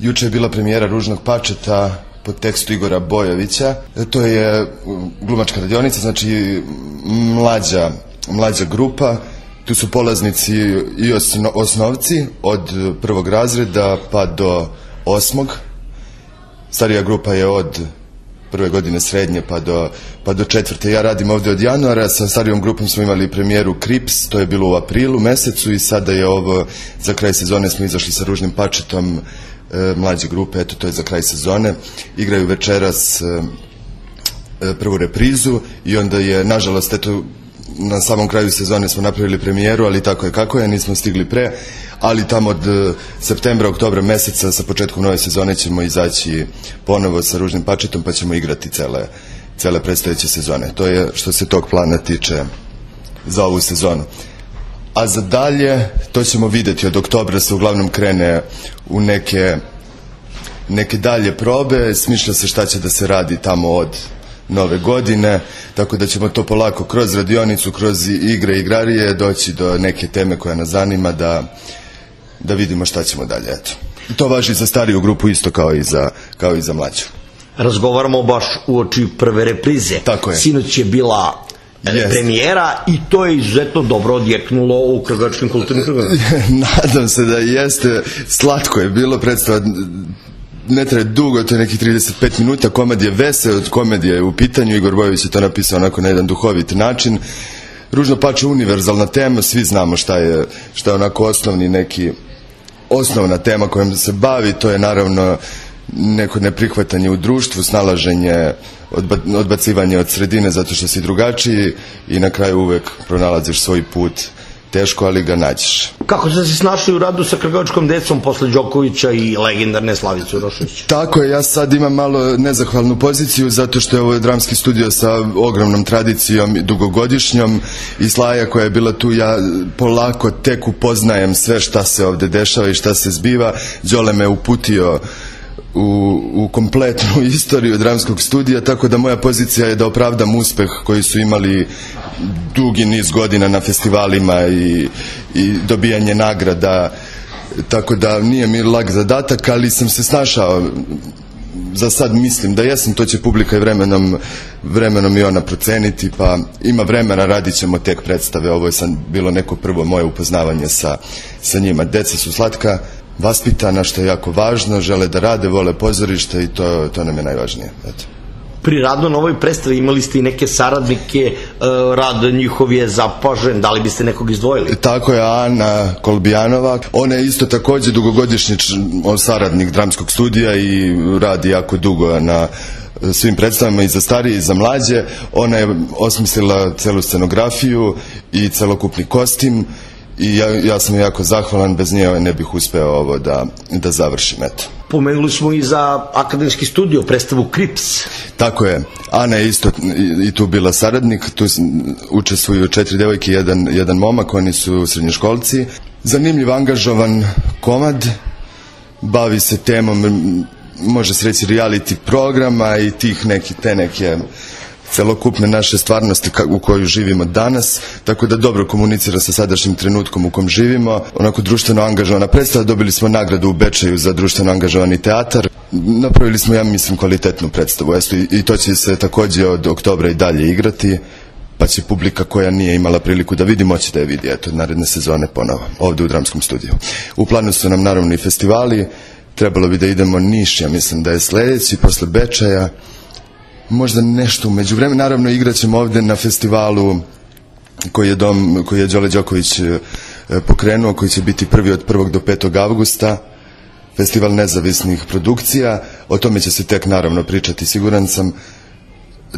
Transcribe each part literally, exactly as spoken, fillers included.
Juče je bila premijera Ružnog pačeta pod tekstu Igora Bojovića. To je glumačka radionica, znači mlađa, mlađa grupa. Tu su polaznici i osno, osnovci od prvog razreda pa do osmog. Starija grupa je od prve godine srednje pa do, pa do četvrte. Ja radim ovdje od januara, sa starijom grupom smo imali premijeru Krips, to je bilo u aprilu mesecu i sada je ovo, za kraj sezone smo izašli sa Ružnim pačetom, e, mlađe grupe, eto to je za kraj sezone. Igraju večeras e, prvu reprizu i onda je, nažalost, eto, na samom kraju sezone smo napravili premijeru, ali tako je kako je, nismo stigli pre, ali tamo od septembra, oktobra meseca sa početkom nove sezone ćemo izaći ponovo sa Ružnim pačetom pa ćemo igrati cele, cele predstojeće sezone. To je što se tog plana tiče za ovu sezonu. A za dalje, to ćemo vidjeti, od oktobra se uglavnom krene u neke, neke dalje probe, smišlja se šta će da se radi tamo od nove godine, tako da ćemo to polako kroz radionicu, kroz igre i igrarije doći do neke teme koja nas zanima, da, da vidimo šta ćemo dalje. Eto. To važi za stariju grupu isto kao i za, kao i za mlađu. Razgovaramo baš uoči prve reprize. Tako je. Sinoć je bila yes. premijera i to je izuzetno dobro odjeknulo u Kragačkim kulturnim krugovima. Nadam se da jeste. Slatko je bilo, predstava ne traje dugo, to je nekih trideset pet minuta, komad je veseo, od komedije je u pitanju, Igor Bojović je to napisao onako na jedan duhovit način. Ružno pače univerzalna tema, svi znamo šta je, šta je onako osnovni neki, osnovna tema kojom se bavi, to je naravno neko neprihvatanje u društvu, snalaženje, odba, odbacivanje od sredine zato što si drugačiji i na kraju uvek pronalaziš svoj put. Teško, ali ga nađeš. Kako ste se snašli u radu sa kragačkom decom posle Đokovića i legendarne Slavice Urošević? Tako je, ja sad imam malo nezahvalnu poziciju zato što je ovo dramski studio sa ogromnom tradicijom, dugogodišnjom, i Slaja koja je bila tu, ja polako tek upoznajem sve šta se ovde dešava i šta se zbiva. Đole me uputio U, u kompletnu istoriju dramskog studija, tako da moja pozicija je da opravdam uspeh koji su imali dugi niz godina na festivalima i, i dobijanje nagrada, tako da nije mi lag zadatak, ali sam se snašao. Za sad mislim da jesam, to će publika i vremenom, vremenom i ona proceniti, pa ima vremena, radit ćemo tek predstave. Ovo je sad bilo neko prvo moje upoznavanje sa, sa njima. Deca su slatka, vaspitana, što je jako važno, žele da rade, vole pozorište i to, to nam je najvažnije. Eto. Pri radu na ovoj predstavi imali ste i neke saradnike, rad njihov je zapažen, da li biste nekog izdvojili? Tako je, Ana Kolbijanova, ona je isto takođe dugogodišnji saradnik dramskog studija i radi jako dugo na svim predstavama i za starije i za mlađe. Ona je osmislila celu scenografiju i celokupni kostim i ja, ja sam jako zahvalan, bez nje ne bih uspeo ovo da, da završim. Eto. Pomenuli smo i za akademski studio, predstavu Krips. Tako je, Ana je isto i, i tu bila saradnik, tu učestvuju četiri devojke i jedan, jedan momak, oni su srednjoškolci. Zanimljiv, angažovan komad, bavi se temom, može se reći, reality programa i tih neki, te neke celokupne naše stvarnosti u kojoj živimo danas, tako da dobro komunicira sa sadašnjim trenutkom u kom živimo. Onako društveno angažovana predstava, dobili smo nagradu u Bečeju za društveno angažovani teatar. Napravili smo, ja mislim, kvalitetnu predstavu. I to će se takođe od oktobra i dalje igrati, pa će publika koja nije imala priliku da vidi, moći da je vidi, eto, naredne sezone ponovo, ovde u dramskom studiju. U planu su nam naravno i festivali, trebalo bi da idemo Niš, ja mislim da je sledeći, posle Bečeja, možda nešto umeđu vremenu. Naravno igrat ćemo ovde na festivalu koji je, dom, koji je Đole Đoković pokrenuo, koji će biti prvi od prvog do petog avgusta, festival nezavisnih produkcija. O tome će se tek naravno pričati, siguran sam,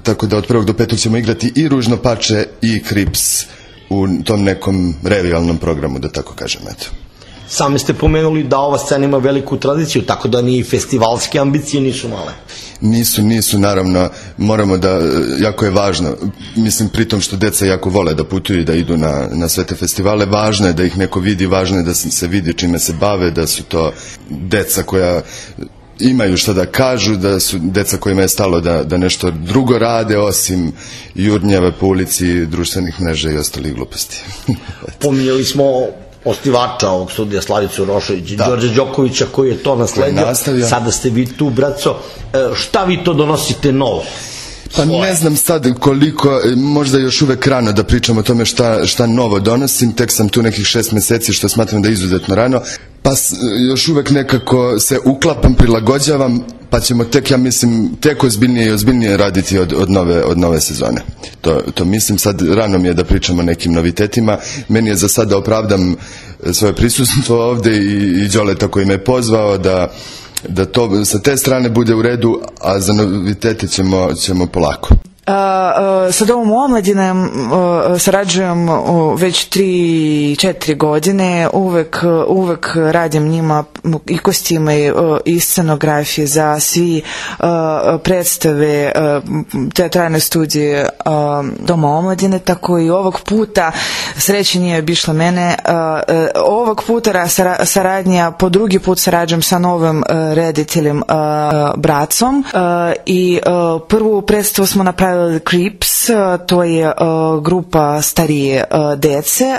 tako da od prvog do petog ćemo igrati i Ružno pače i Krips u tom nekom revijalnom programu, da tako kažem. Eto. Sami ste pomenuli da ova scena ima veliku tradiciju, tako da ni festivalske ambicije nisu male. Nisu, nisu, naravno, moramo da, jako je važno, mislim, pritom što deca jako vole da putuju i da idu na, na sve te festivale, važno je da ih neko vidi, važno je da se vidi čime se bave, da su to deca koja imaju šta da kažu, da su deca kojima je stalo da, da nešto drugo rade osim jurnjave po ulici, društvenih mreža i ostalih gluposti. Pominjali smo osnivača ovog studija, Slavicu Rošović i Đorđa Đokovića koji je to nasledio. Sada ste vi tu, braco. Šta vi to donosite novo? Pa ne znam sad koliko, možda još uvek rano da pričam o tome šta, šta novo donosim, tek sam tu nekih šest meseci što smatram da je izuzetno rano, pa još uvek nekako se uklapam, prilagođavam, pa ćemo tek, ja mislim, tek ozbiljnije i ozbiljnije raditi od, od, nove, od nove sezone. To, to mislim, sad rano mi je da pričam o nekim novitetima, meni je za sad da opravdam svoje prisustvo ovde i, i Đoleta koji me je pozvao da da to sa te strane bude u redu, a za novitete ćemo, ćemo polako. Sa Domom omladine sarađujem već tri četiri godine, uvek, uvek radim njima i kostime i scenografije za svi predstave teatralne studije Doma omladine, tako i ovog puta sreće nije bišla mene. Ovog puta saradnja, po drugi put sarađujem sa novim rediteljem Bracom i prvu predstavu smo napravili Creeps, to je uh, grupa starije uh, dece, uh,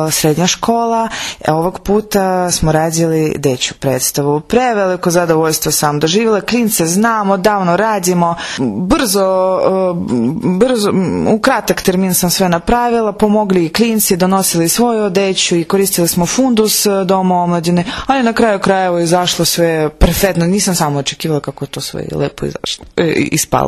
uh, srednja škola. Ovog puta smo radili dečju predstavu. Preveliko zadovoljstvo sam doživjela, klince znam, odavno radimo, brzo, uh, brzo, u kratak termin sam sve napravila, pomogli i klinci, donosili svoju odeću i koristili smo fundus Doma omladine, ali na kraju krajeva izašlo sve perfektno, nisam samo očekivala kako to sve lepo izašlo, ispalo.